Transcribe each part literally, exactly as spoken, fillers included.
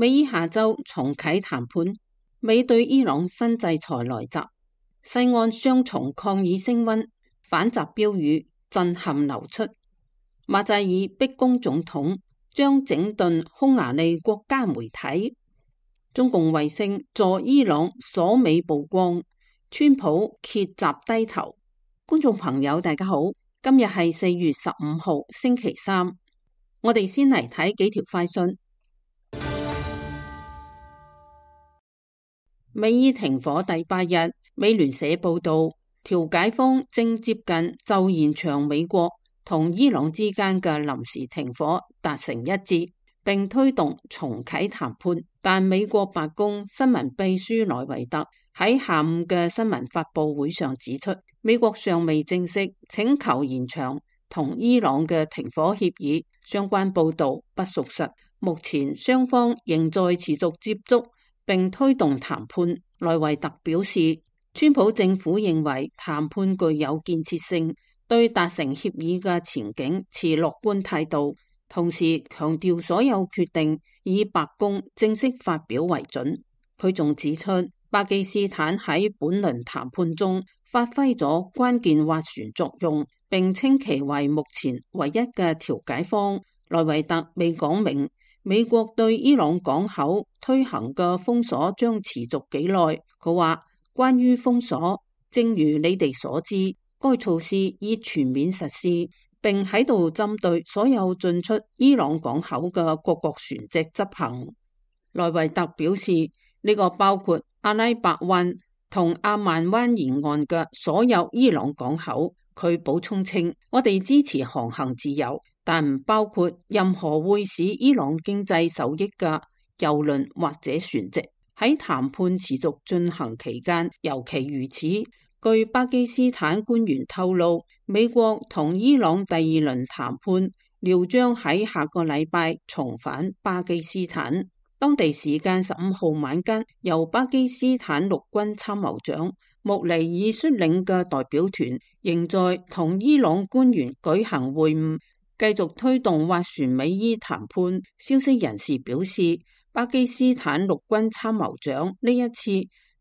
美伊下周重啟談判，美對伊朗新制裁來襲，西岸雙重抗議升溫，反習標語震撼流出。馬扎爾逼宮總統將整頓匈牙利國家媒體，中共衛星助伊朗鎖美曝光，川普揭習低頭。觀眾朋友大家好，今日係四月十五號星期三，我哋先嚟睇幾條快訊。美伊停火第八日，美聯社報道，調解方正接近就延長美國同伊朗之間嘅臨時停火達成一致，並推動重啟談判。但美國白宮新聞秘書萊維特喺下午嘅新聞發佈會上指出，美國尚未正式請求延長同伊朗嘅停火協議，相關報道不屬實。目前雙方仍在持續接觸並推動談判。萊維特表示，川普政府認為談判具有建設性，對達成協議嘅前景持樂觀態度，同時強調所有決定以白宮正式發表為準。佢仲指出，巴基斯坦喺本輪談判中發揮咗關鍵斡旋作用，並稱其為目前唯一嘅調解方。萊維特未講明美國對伊朗港口推行嘅封鎖將持續幾耐。佢話，關於封鎖，正如你哋所知，該措施已全面實施，並喺度針對所有進出伊朗港口嘅各國船隻執行。萊維特表示，呢個包括阿拉伯灣同阿曼灣沿岸嘅所有伊朗港口。佢補充稱，我哋支持航行自由，但唔包括任何會使伊朗經濟受益嘅郵輪或者船隻。喺談判持續進行期間，尤其如此。據巴基斯坦官員透露，美國同伊朗第二輪談判料將喺下個禮拜重返巴基斯坦。當地時間十五號晚間，由巴基斯坦陸軍參謀長穆尼爾率領嘅代表團仍在同伊朗官員舉行會晤，繼續推動斡旋美伊談判。消息人士表示，巴基斯坦陸軍參謀長呢一次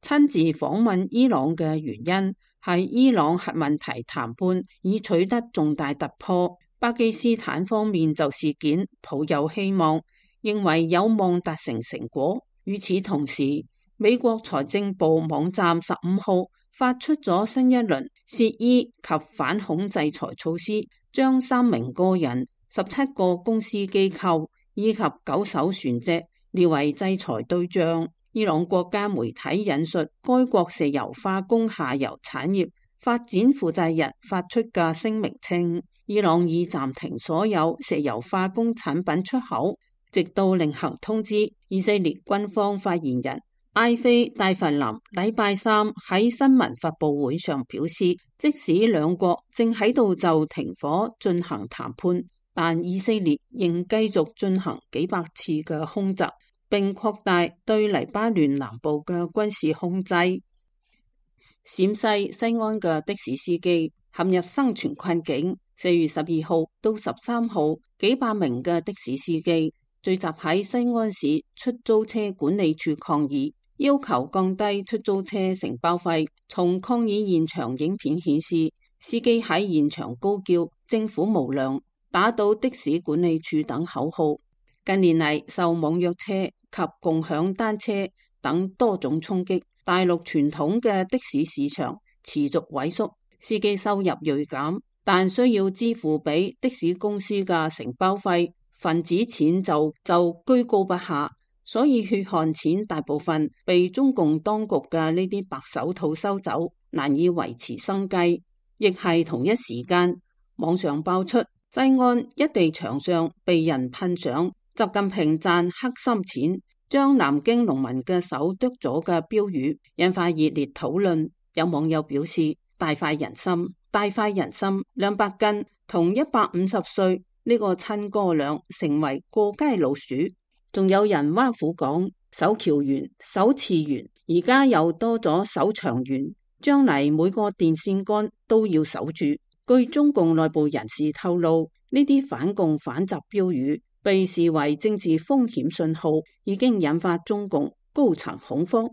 親自訪問伊朗嘅原因係伊朗核問題談判已取得重大突破。巴基斯坦方面就事件抱有希望，認為有望達成成果。與此同時，美國財政部網站十五號發出咗新一輪涉伊及反恐制裁措施，將三名個人、十七個公司機構以及九艘船隻列為制裁對象。伊朗國家媒體引述該國石油化工下游產業發展負責人發出嘅聲明稱，伊朗已暫停所有石油化工產品出口，直到另行通知。以色列軍方發言人埃菲戴弗林禮拜三喺新聞發佈會上表示，即使兩國正喺度就停火進行談判，但以色列仍繼續進行幾百次嘅空襲，並擴大對黎巴嫩南部嘅軍事控制。陝西西安嘅的，的士司機陷入生存困境。四月十二號到十三號，幾百名嘅的，的士司機聚集喺西安市出租車管理處抗議，要求降低出租車承包費。從抗議現場影片顯示，司機喺現場高叫政府無良、打倒的士管理處等口號。近年嚟，受網約車及共享單車等多種衝擊，大陸傳統嘅的，的士市場持續萎縮，司機收入銳減，但需要支付俾的士公司嘅承包費，份子錢就就居高不下。所以血汗錢大部分被中共當局嘅呢啲白手套收走，難以維持生計。亦係同一時間，網上爆出西安一地牆上被人噴上習近平賺黑心錢，將南京農民嘅手剁咗嘅標語，引發熱烈討論。有網友表示，大快人心，大快人心，兩百斤同一百五十歲呢個親哥倆成為過街老鼠。仲有人挖苦講，守橋員、守次員，而家又多咗守牆員，將嚟每個電線桿都要守住。據中共內部人士透露，呢啲反共反習標語被視為政治風險信號，已經引發中共高層恐慌。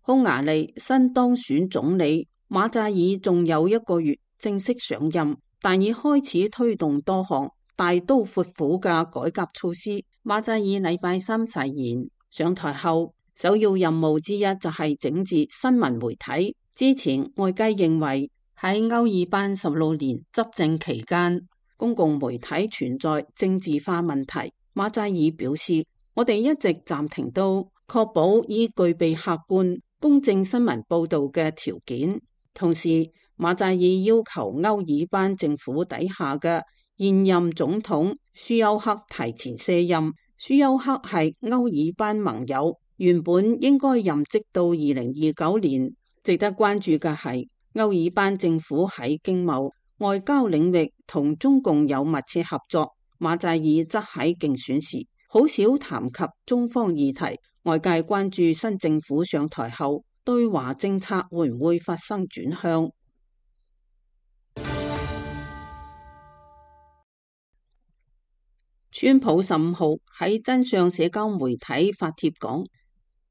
匈牙利新當選總理馬扎爾仲有一個月正式上任，但已開始推動多項大刀闊斧嘅改革措施。馬扎爾禮拜三誓言上台後，首要任務之一就係整治新聞媒體。之前外界認為喺歐爾班十六年執政期間，公共媒體存在政治化問題。馬扎爾表示，我哋一直暫停到確保已具備客觀公正新聞報導嘅條件。同時，馬扎爾要求歐爾班政府底下嘅現任總統舒丘克提前卸任。舒丘克係歐爾班盟友，原本應該任職到二零二九年。值得關注嘅係，歐爾班政府喺經貿、外交領域同中共有密切合作。馬扎爾則喺競選時好少談及中方議題。外界關注新政府上台後對華政策會唔會發生轉向。川普十五號喺真相社交媒體發帖講，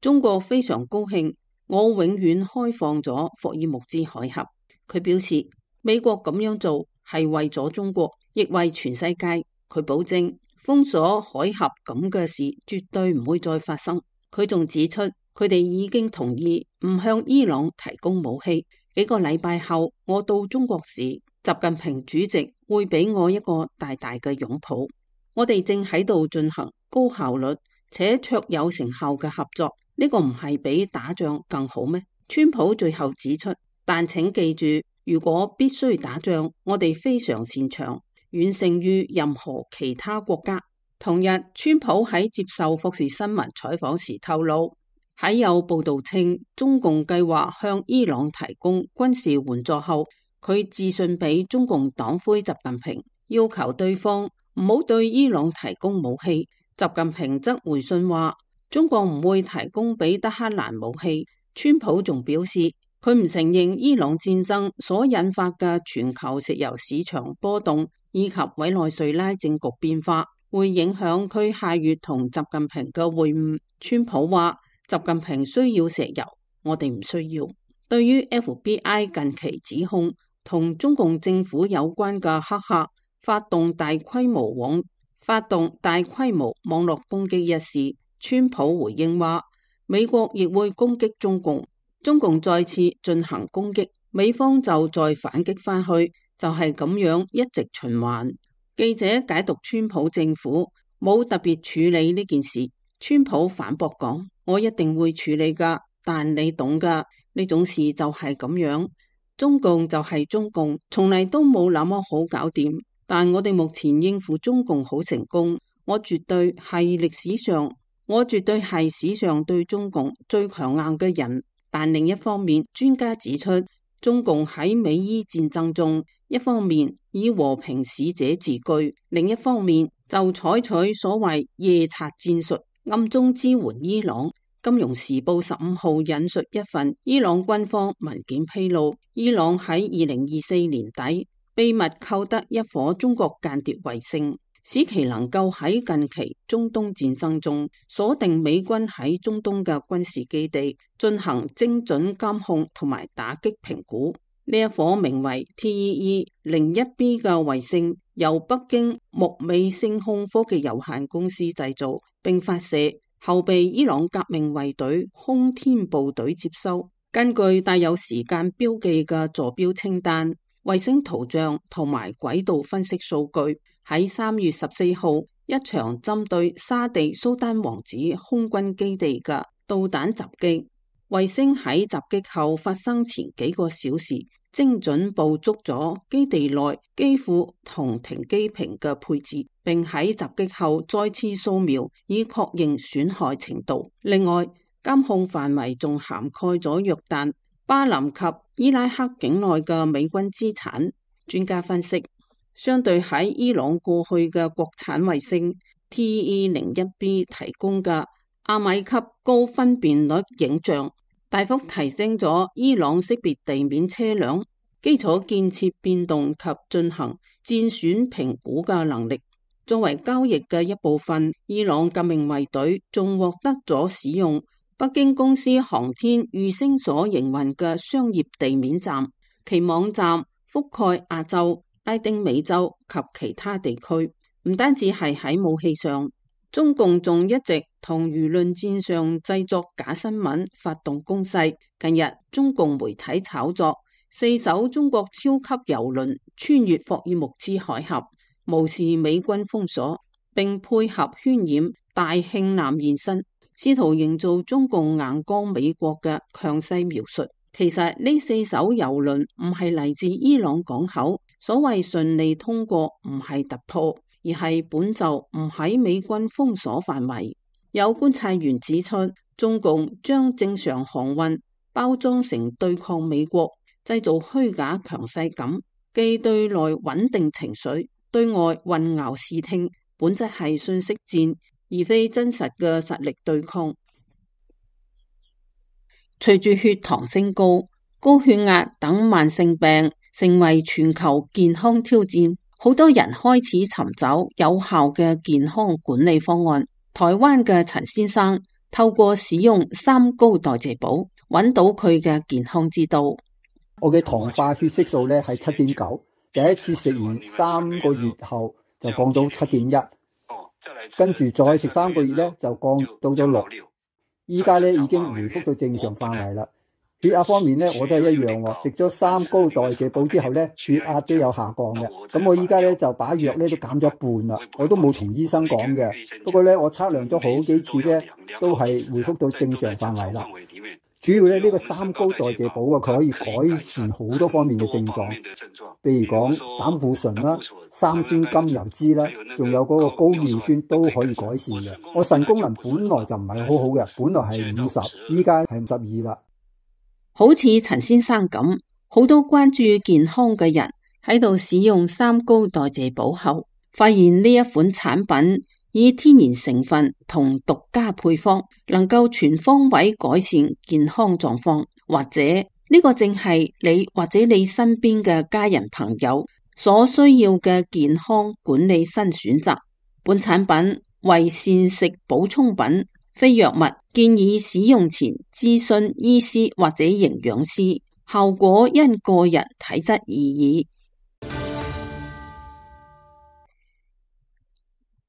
中國非常高興我永遠開放咗霍爾木茲海峽。佢表示美國咁樣做係為咗中國，亦為全世界。佢保證封鎖海峽咁嘅事絕對唔會再發生。佢仲指出，佢哋已經同意唔向伊朗提供武器。幾個禮拜後，我到中國時，習近平主席會俾我一個大大嘅擁抱。我哋正喺度進行高效率且卓有成效嘅合作，呢個唔係比打仗更好咩？川普最後指出，但請記住，如果必須打仗，我哋非常擅長，遠勝於任何其他國家。同日，川普喺接受福士新聞採訪時透露，喺有報道稱中共計劃向伊朗提供軍事援助後，佢致信俾中共黨魁習近平，要求對方唔好對伊朗提供武器。習近平則回信話，中國唔會提供俾德黑蘭武器。川普仲表示，佢唔承認伊朗戰爭所引發嘅全球石油市場波動以及委內瑞拉政局變化會影響佢下月同習近平嘅會晤。川普話，習近平需要石油，我哋唔需要。對於 F B I 近期指控同中共政府有關嘅黑客發動大規模網發動大規模網絡攻擊一事，川普回應話，美國亦會攻擊中共，中共再次進行攻擊，美方就再反擊返去，就係咁樣一直循環。記者解讀川普政府冇特別處理呢件事，川普反駁講，我一定會處理噶，但你懂噶，呢種事就係咁樣，中共就係中共，從嚟都冇那麼好搞掂，但我哋目前應付中共好成功，我絕對係歷史上我絕對係史上對中共最強硬嘅人。但另一方面，專家指出，中共喺美伊戰爭中，一方面以和平使者自居，另一方面就採取所謂夜賊戰術，暗中支援伊朗。金融時報十五號引述一份伊朗軍方文件披露，伊朗喺二零二四年底秘密購得一顆中國間諜衛星，使其能夠喺近期中東戰爭中鎖定美軍喺中東嘅軍事基地，進行精準監控同埋打擊評估。呢一顆名為 T E E 零一 B 嘅衛星，由北京木美星空科技有限公司製造並發射，後被伊朗革命衛隊空天部隊接收。根據帶有時間標記嘅坐標清單、衛星圖像同埋軌道分析數據，喺三月十四號一場針對沙地蘇丹王子空軍基地嘅導彈襲擊，衛星喺襲擊後發生前幾個小時精準捕捉咗基地內機庫同停機坪嘅配置，並喺襲擊後再次掃描以確認損害程度。另外，監控範圍仲涵蓋咗約旦、巴林及伊拉克境內嘅美軍資產。專家分析，相對喺伊朗過去嘅國產衛星 T E 零一 B 提供嘅阿米級高分辨率影像，大幅提升咗伊朗識別地面車輛、基礎建設變動及進行戰損評估嘅能力。作為交易嘅一部分，伊朗革命衛隊仲獲得咗使用北京公司航天衛星所營運嘅商業地面站，其網站覆蓋亞洲、拉丁美洲及其他地區。唔單止係喺武器上，中共仲一直同輿論戰上製作假新聞，發動攻勢。近日，中共媒體炒作四艘中國超級郵輪穿越霍爾木茲海峽，無視美軍封鎖，並配合渲染大慶艦現身，試圖營造中共硬剛美國嘅強勢描述。其實呢四艘郵輪唔係嚟自伊朗港口，所謂順利通過唔係突破，而係本就唔喺美軍封鎖範圍。有觀察員指出，中共將正常航運包裝成對抗美國，製造虛假強勢感，既對內穩定情緒，對外混淆視聽，本質係信息戰，而非真實嘅實力對抗。隨住血糖升高、高血壓等慢性病成為全球健康挑戰，好多人開始尋找有效嘅健康管理方案。台灣嘅陳先生透過使用三高代謝寶，揾到佢嘅健康之道。我嘅糖化血色素咧係七點九，第一次食完三個月後就降到七點一，跟住再食三個月咧就降到咗六。依家咧已經回復到正常範圍啦。血壓方面咧，我都係一樣喎。食咗三高代謝寶之後咧，血壓都有下降嘅。咁我依家咧就把藥咧都減咗一半啦。我都冇同醫生講嘅。不過咧，我測量咗好幾次咧，都係回復到正常範圍啦。主要咧呢個三高代謝寶啊，佢可以改善好多方面嘅症狀，譬如講膽固醇啦、三酸甘油酯啦，仲有嗰個高尿酸都可以改善嘅。我腎功能本來就唔係好好嘅，本來係五十，依家係五十二啦。好似陳先生咁，好多關注健康嘅人喺度使用三高代謝寶後，發現呢一款產品以天然成分同獨家配方，能夠全方位改善健康狀況，或者呢個正係你或者你身邊嘅家人朋友所需要嘅健康管理新選擇。本產品為膳食補充品，非藥物，建議使用前諮詢醫師或者營養師，效果因個人體質而異。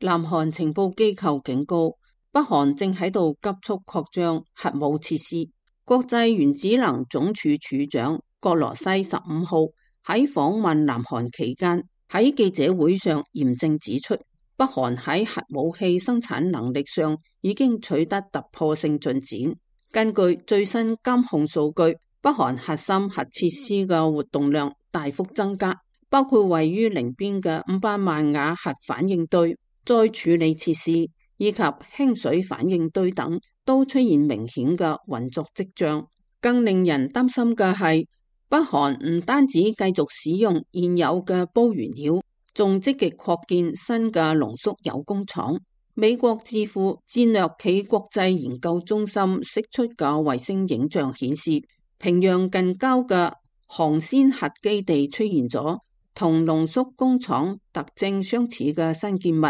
南韓情報機構警告，北韓正喺度急速擴張核武設施。國際原子能總署署長葛羅西十五號喺訪問南韓期間，喺記者會上嚴正指出，北韓喺核武器生產能力上已經取得突破性進展。根據最新監控數據，北韓核心核設施嘅活動量大幅增加，包括位於寧邊嘅五百萬瓦核反應堆、再處理設施以及輕水反應堆等都出現明顯嘅運作跡象。更令人擔心嘅係，北韓唔單止繼續使用現有嘅鈽原料，仲積極擴建新嘅濃縮鈾工廠。美國智庫戰略暨國際研究中心釋出嘅衛星影像顯示，平壤近郊嘅航先核基地出現咗同濃縮工廠特徵相似嘅新建物。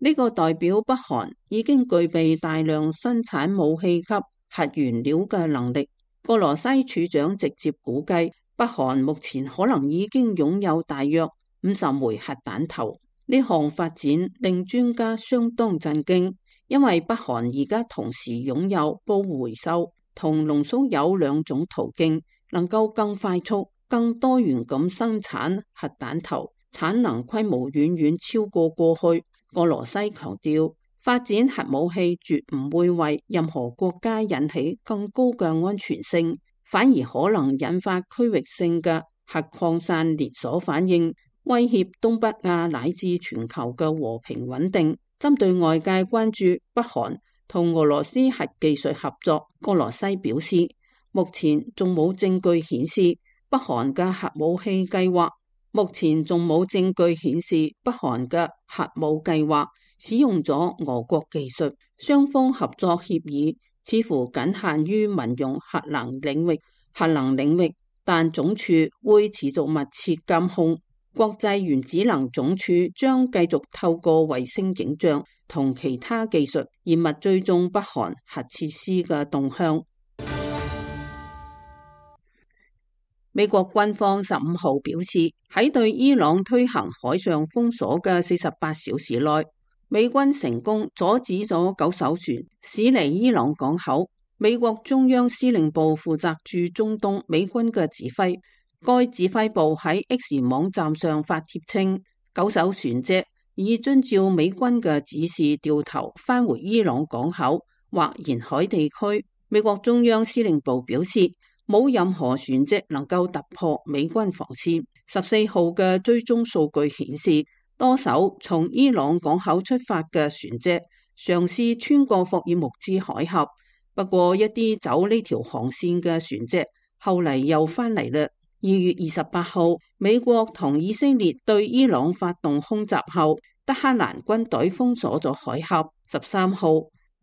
呢個代表北韓已經具備大量生產武器級核原料嘅能力。葛羅西處長直接估計，北韓目前可能已經擁有大約五十枚核彈頭。呢項發展令專家相當震驚，因為北韓而家同時擁有鈽回收同濃縮鈾兩種途徑，能夠更快速、更多元咁生產核彈頭，產能規模遠遠超過過去。葛羅西強調，發展核武器絕唔會為任何國家引起更高嘅安全性，反而可能引發區域性嘅核擴散連鎖反應，威脅東北亞乃至全球嘅和平穩定。針對外界關注北韓同俄羅斯核技術合作，葛羅西表示，目前仲冇證據顯示北韓嘅核武器計劃。目前仲冇證據顯示北韓嘅核武計劃使用咗俄國技術，雙方合作協議似乎僅限於民用核能領域。核能領域，但總署會持續密切監控。國際原子能總署將繼續透過衛星影像同其他技術嚴密追蹤北韓核設施嘅動向。美國軍方十五號表示，喺對伊朗推行海上封鎖嘅四十八小時內，美軍成功阻止咗九艘船駛離伊朗港口。美國中央司令部負責駐中東美軍嘅指揮，該指揮部喺 X 網站上發帖稱，九艘船隻已遵照美軍嘅指示掉頭返回伊朗港口或沿海地區。美國中央司令部表示，冇任何船隻能夠突破美軍防線。十四號嘅追蹤數據顯示，多艘從伊朗港口出發嘅船隻嘗試穿過霍爾木茲海峽。不過一啲走呢條航線嘅船隻後嚟又返嚟啦。二月二十八號，美國同以色列對伊朗發動空襲後，德黑蘭軍隊封鎖咗海峽。十三號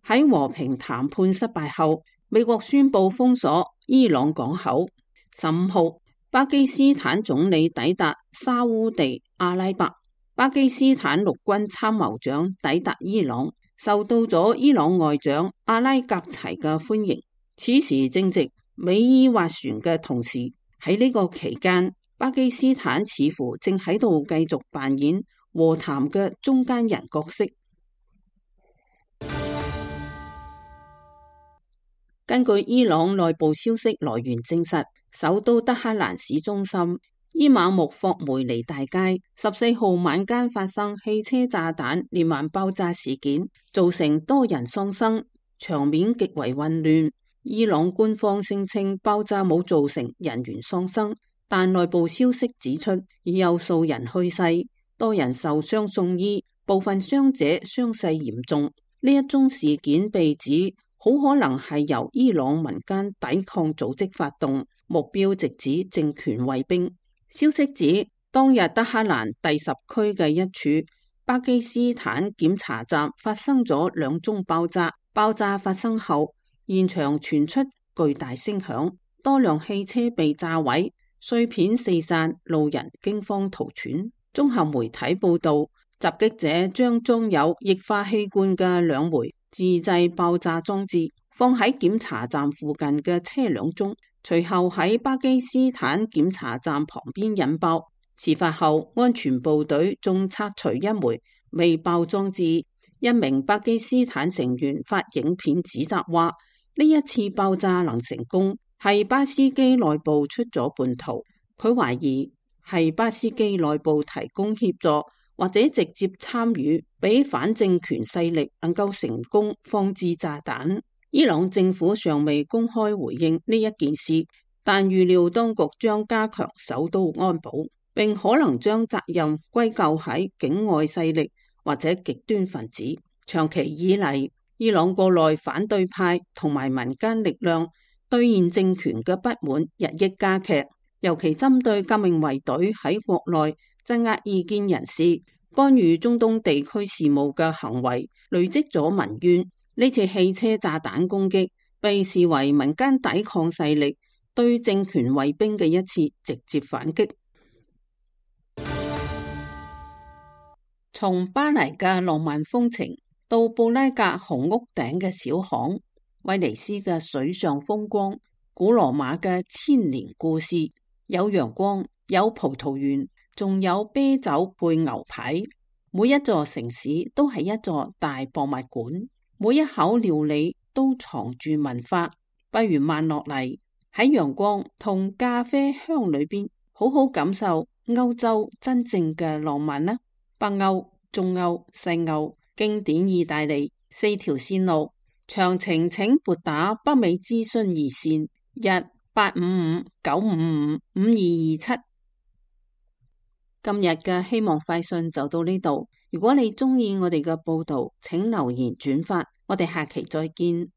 喺和平談判失敗後，美國宣布封鎖伊朗港口。十五號，巴基斯坦總理抵達沙烏地阿拉伯，巴基斯坦陸軍參謀長抵達伊朗，受到咗伊朗外長阿拉格齊嘅歡迎。此時正值美伊斡旋嘅同時，喺呢個期間，巴基斯坦似乎正喺度繼續扮演和談嘅中間人角色。根據伊朗內部消息來源證實，首都德黑蘭市中心伊瑪目霍梅尼大街十四號晚間發生汽車炸彈連環爆炸事件，造成多人喪生，場面極為混亂。伊朗官方聲稱爆炸冇造成人員喪生，但內部消息指出已有數人去世，多人受傷送醫，部分傷者傷勢嚴重。呢一宗事件被指好可能係由伊朗民間抵抗組織發動，目標直指政權衛兵。消息指，當日德黑蘭第十區嘅一處巴基斯坦檢查站發生咗兩宗爆炸，爆炸發生後，現場傳出巨大聲響，多輛汽車被炸毀，碎片四散，路人驚慌逃竄。綜合媒體報道，襲擊者將裝有液化氣罐嘅兩枚自製爆炸裝置放喺檢查站附近嘅車輛中，隨後喺巴基斯坦檢查站旁邊引爆。事發後，安全部隊仲拆除一枚未爆裝置。一名巴基斯坦成員發影片指責話，呢一次爆炸能成功係巴斯基內部出咗叛徒。佢懷疑係巴斯基內部提供協助或者直接參與，俾反政權勢力能夠成功放置炸彈。伊朗政府尚未公開回應呢一件事，但預料當局將加強首都安保，並可能將責任歸咎喺境外勢力或者極端分子。長期以嚟，伊朗國內反對派同埋民間力量對現政權嘅不滿日益加劇，尤其針對革命衛隊喺國內鎮壓異見人士、干預中東地區事務嘅行為，累積咗民怨。呢次汽車炸彈攻擊被視為民間抵抗勢力對政權衛兵嘅一次直接反擊。從巴黎嘅浪漫風情到布拉格紅屋頂嘅小巷，威尼斯嘅水上風光，古羅馬嘅千年故事，有陽光，有葡萄園，仲有啤酒配牛排。每一座城市都係一座大博物館。每一口料理都藏住文化，不如慢落嚟喺陽光同咖啡香裏邊，好好感受歐洲真正嘅浪漫啦！北歐、中歐、西歐，經典意大利四條線路，詳情請撥打北美諮詢熱線一八五五九五五五二二七。今日嘅希望快訊就到呢度。如果你鍾意我哋嘅報道，請留言轉發。我哋下期再見。